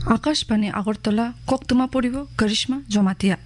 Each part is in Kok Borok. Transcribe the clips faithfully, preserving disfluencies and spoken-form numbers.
Akashbani Agartala, koktwma poribo Karishma Jomatia.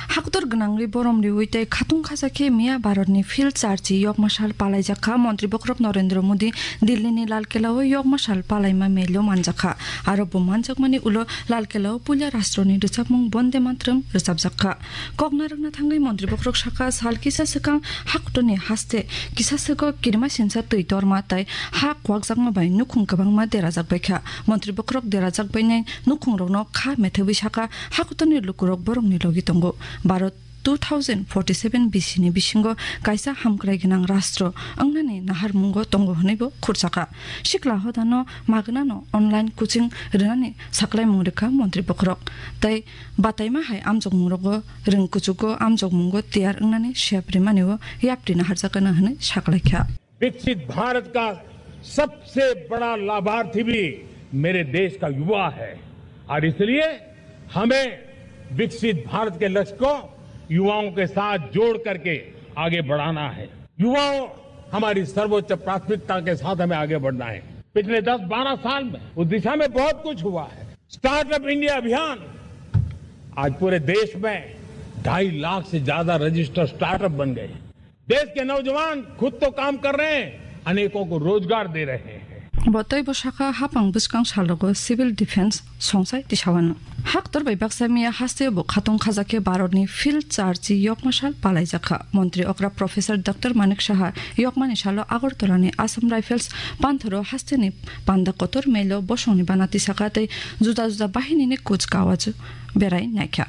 Haktor gwnangwi borom riwi tei khatung khaja khe miya Bharatni field charchi yokma sal palaijak kha Montri bokhorok Narendra Modi Dillini Lal Kelao yokma sal palaima melo manjak kha. Aro bo manjakmani ulo Lal Kelao puila rastroni rwchapmung Bonde Mataram rwchapjak kha. Kokna rwkna thangwi Montri bokhorok sakha sal kisa swkang haktorni haste kisa swkang kirima sinsa twi torma tei ha kwakjakma bai nukhung kwbangma derajak bai kha. Montri bokhorok derajak bainai nukhungrokno kha methebwi sakha, hakutorni lukurok borokni logi tongo. Bharat two thousand forty-seven B C ni bisingo kaisa hamkrai gwnang rastro wngnani naharmungo tongo hwnwibo khursakha. Sikla hodano magnano online coaching rwnani saklaimung rwkha Montri bokhorok. Tei bataima hai amjokmungrogo rwng kuchugo amjokmungo tiyar wngnani sep rimanio yapri naharjakano hwnwi saklaikha. विकसित भारत का सबसे बड़ा लाभार्थी भी मेरे देश का युवा है और इसलिए हमें विकसित भारत के लक्ष्य को युवाओं के साथ जोड़ करके आगे बढ़ाना है। युवाओं, हमारी सर्वोच्च प्राथमिकता के साथ हमें आगे बढ़ना है। पिछले दस बारह साल में उस दिशा में बहुत कुछ हुआ है। स्टार्टअप इंडिया अभियान, आज पूरे देश में ढाई लाख से ज्यादा रजिस्टर्ड स्टार्टअप बन गए। देश के नौजवान खुद तो काम कर रहे हैं, अनेकों को रोजगार दे रहे हैं। Bo tei bo sakha hapang bwskang salogo civil defense songsai tisawano. Haktor bai baksa miya haste bo khatung khajakhe Bharatni field charchi yokma sal palaijakha. Montri okra Professor Doctor Manik Saha yokmani salo Agartala ni Assam Rifles panthoro hasteni panda kotor melo bosongni bana tisakha tei juda juda bahinini kuch kawaju berai naikha.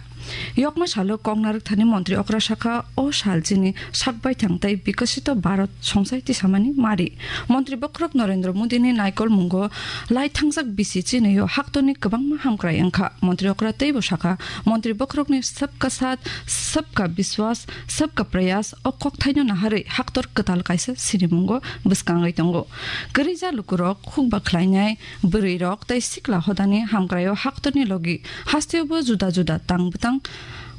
Yokma salo koknarwk thani montri okra sakha, o sal chini sak baithang tei bikosito Bharat songsai tisamani mari. Montri bokhorok Narendra Modi ni naikol mungo lai thangjak bisi chini o haktorni kwbangma hamkrai wngkha. Montri okra teibo sakha, montri bokhorokni sabka saath, sabka biswas, sabka prayas o kokthaino naharwi haktor kwtal kaisa sinimungo bwskangwi tongo. Kwrwija lukurok hukba khlainai, bwrwirok tei sikla hodani hamkraio haktorni logi hasteobo juda juda tang bwtang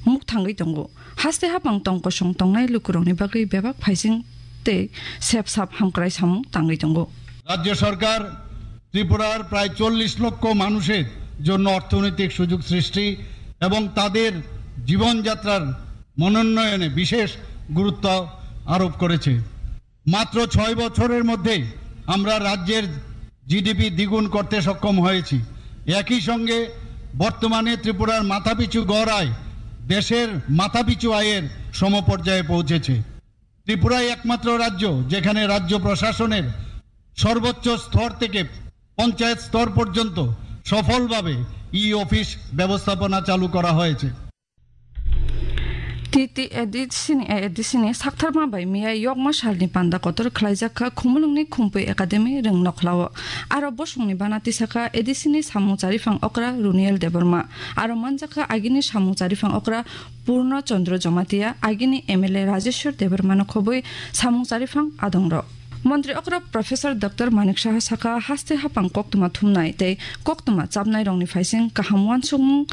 mukthangwi tongo. Haste hapang tong kosong tongnai lukurokni bagwi bebak phaising tei sep sap hamkrai samung tangwi tongo. রাজ্য সরকার ত্রিপুরার প্রায় চল্লিশ লক্ষ মানুষের জন্য অর্থনৈতিক সুযোগ সৃষ্টি এবং তাদের জীবনযাত্রার মানোন্নয়নে বিশেষ গুরুত্ব আরোপ করেছে। মাত্র ছয় বছরের মধ্যে আমরা রাজ্যের জিডিপি দ্বিগুণ করতে সক্ষম হয়েছি। একই সঙ্গে বর্তমানে ত্রিপুরার মাথাপিছু গড় আয় দেশের মাথাপিছু আয়ের সমপর্যায়ে পৌঁছেছে। ত্রিপুরাই একমাত্র রাজ্য যেখানে রাজ্য প্রশাসনের সর্বোচ্চ স্তর থেকে পঞ্চায়েত স্তর পর্যন্ত সফলভাবে ই অফিস ব্যবস্থাপনা চালু করা হয়েছে। T T A D C ni, A D C ni saktharma bai miya yokma salni panda kotor khlaijak kha Khumulwngni Khumpui Academy Rwngnokhlao. Aro bosongni bana tisakha A D C ni samung charifang okra Runiel Debbarma. Aro manjakha agini samung charifang okra Purno Chandra Jamatia, agini M L A Rajeshwar Debbarmano khobwi samung charifang adongrok. Montri okra Professor Doctor Manik Saha sakha, haste hapang koktwma thumnai tei koktwma chapnai rokni phaising kaham uansukmung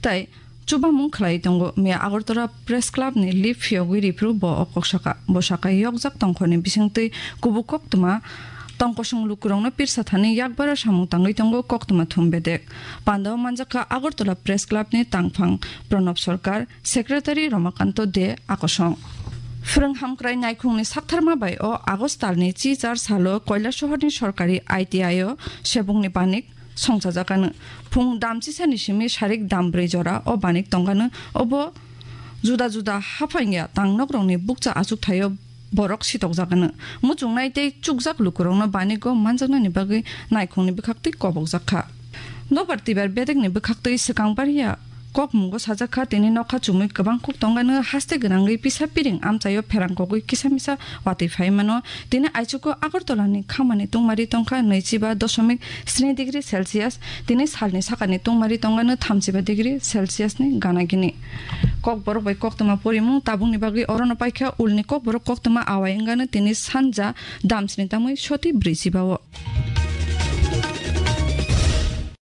tei chubamung khlai tongo. Miya Agartala Press Club ni lip phiyogwi riphru bo o kok sakha. Bo sakha, yokjak tongkhorni bisingtwi kubuk koktwma tongkosong lukurokno pirsa thani yakbara samung tangwi tongo koktwma thum bedek. Pandao manjakha Agartala Press Club ni tangphang Pranab Sarkar, Secretary Ramakanto De Akosong. Phwrwng hamkrai naikhungni saktharma bai o August talni chichar salo Koilasohorni sorkari I T I o sebungni banik songchajakano. Phung damchisani simi sarik dambrwi jora o banik tongkano, obo juda juda haphangya tangnokrokni bukcha achukthai-o borok sitokjakano. Muchungnai tei chukjak lukurokno banigo manjaknani bagwi naikhungni bwkhaktwi kobokjak kha. Nobar twibar bedekni bwkhaktwi swkang bariya kokmungo sajak kha, tini nokha chumui kwbang kuk tongkano haste gwnangwi pisa piring amchaio pherang kogwi kisa misa watwi phai mano. Tini aichugo Agartala ni khamani tungmari tongkha naichiba dosomik sni degree Celsius, tini salni sakani tungmari tongkha no thamchiba degree Celsius ni gana gini. Kokborok bai koktwma porimung tabukni bagwi orono paikha, ulni kokborok koktwma awai wngkha no tini sanja damsni tamwi soti brwi chiba o.